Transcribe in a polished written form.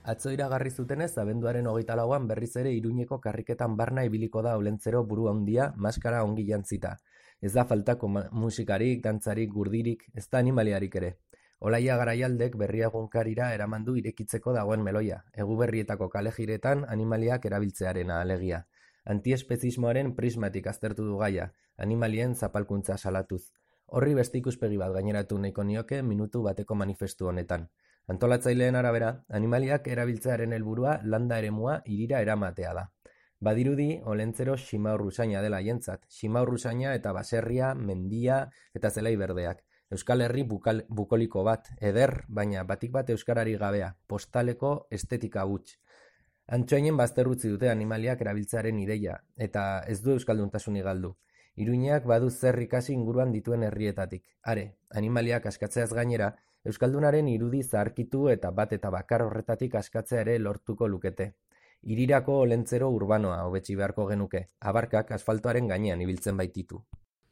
Atzo iragarri zutenez, abenduaren 24an berriz ere Iruñeko karriketan barna ibiliko da Olentzero buru handia, maskara ongi jantzita. Ez da faltako musikarik, dantzarik, gurdirik, ez da animaliarik ere. Olaia Garaialdek Berria egunkarira eraman du irekitzeko dagoen meloia, Eguberrietako kalejiretan animaliak erabiltzearena alegia. Antiespezismoaren prismatik aztertu du gaia, animalien zapalkuntza salatuz. Horri beste ikuspegi bat gaineratu nahiko nioke minutu bateko manifestu honetan. Antolatzaileen arabera, animaliak erabiltzearen helburua landa eremua hirira eramatea da. Badirudi, Olentzero ximaurruzaina dela haientzat, ximaurruzaina eta baserria, mendia eta zelai berdeak. Euskal Herri bukoliko bat, eder, baina batik bat euskarari gabea, postaleko estetika huts. Antsoainen bazterrutzi dute animaliak erabiltzearen ideia, eta ez du euskalduntasunik galdu. Iruñeak badu zer ikasi inguruan dituen herrietatik. Are, animaliak askatzeaz gainera, euskaldunaren irudi zaharkitu eta bat eta bakar horretatik askatzea ere lortuko lukete. Hirirako Olentzero urbanoa hobetsi beharko genuke, abarkak asfaltoaren gainean ibiltzen baititu.